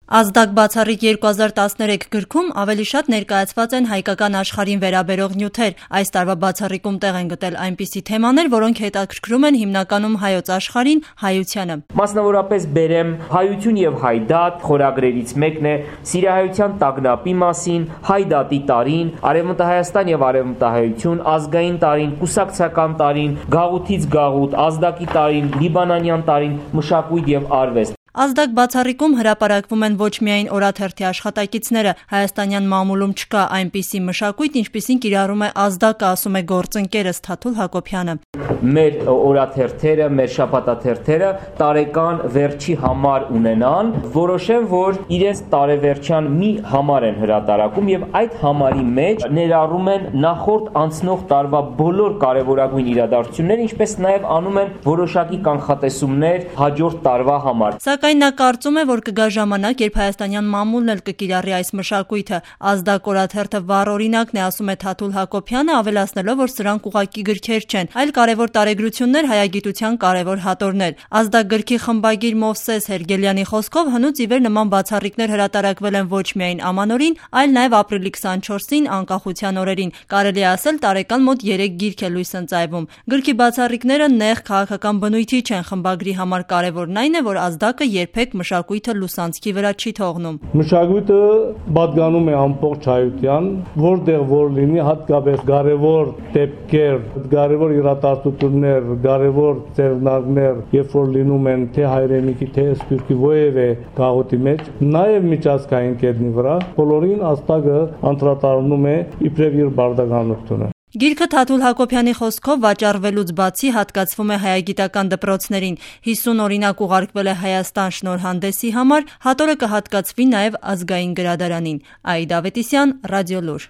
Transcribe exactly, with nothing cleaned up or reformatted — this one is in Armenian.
Ազդակ բացառիկ երկու հազար տասներեք գրքում ավելի շատ ներկայացված են հայկական աշխարհին վերաբերող նյութեր, այս տարվա բացառիկում տեղ են գտել այնպիսի թեմաներ, որոնք հետաքրքրում են հիմնականում հայոց աշխարհին, հայությանը։ Մասնավորապես բերեմ «Հայություն եւ հայդատ» խորագրերից մեկն է սիրահայության տագնապի մասին, հայդատի տարին, Արևմտահայաստան եւ արևմտահայություն, ազգային տարին, կուսակցական տարին, գաղութից գաղութ, ազդակի տարին, լիբանանյան տարին, մշակույթ եւ արվեստ։ Ազդակ բացառիկում հրապարակվում են ոչ միայն օրաթերթի աշխատակիցները, հայաստանյան մամուլում չկա այնպիսի մշակույթ, ինչպիսին կիրառում է Ազդակը, ասում է գործընկերս Թաթուլ Հակոբյանը։ Մեր օրաթերթերը, մեր շաբաթաթերթերը տարեկան վերջի համար ունենան, որոշեն, որ իրենց տարեվերջյան մի համար են հրատարակում եւ այդ համարի մեջ ներառում են նախորդ անցնող տարվա բոլոր կարևորագույն իրադարձությունները, ինչպես նաեւ անում են որոշակի կանխատեսումներ հաջորդ տարվա համար։ Սակայն նա կարծում է, որ կգա ժամանակ, երբ հայաստանյան մամուլն էլ կկիրառի այս մշակույթը։ Ազդակ օրաթերթը վառ օրինակն է, ասում է Թաթուլ Հակոբյանը, ավելացնելով, որ սրանք ուղղակի գրքեր չեն, այլ կարևոր տարեգրություններ, հայագիտության կարևոր հատորներ։ Ազդակ գրքի խմբագիր Մովսես Հերգելյանի խոսքով հնուց ի վեր նման բացառիկներ հրատարակվել են ոչ միայն ամանորին, այլ նաև ապրիլի քսանչորսին, անկախության օրերին։ Կարելի է ասել, տարեկան մոտ երեք գիրք է լույս ընծայվում։ Գրքի բացառիկները նեղ քաղաքական բնույթի չեն, խմբագրի համար կարևորն այն է, որ Ազդակը երբեք մշակույթը լուսանցքի վրա չի թողնում։ Մշակույթը պատկանում է ամբողջ հայության, որտեղ որ լինի, հատկապես կարևոր դեպքեր, կարևոր իրադարձություններ, կարևոր ձեռնարկներ, երբ որ լինում են թե հայրենիքի, թե սփյուռքի որևէ գաղութի մեջ, նաև միջազգային կետնի վրա, բոլորին Ազդակը անդրադառնում է իբրև իր բարդականությունը։ Գիրքը Թաթուլ Հակոբյանի խոսքով վաճառվելուց բացի հատկացվում է հայագիտական դպրոցներին, հիսուն օրինակ ուղարկվել է Հայաստան շնորհանդեսի համար, հատորը կհատկացվի նաև ազգային գրադարանին։ Աիդա Ավետիսյան, Ռադիոլուր։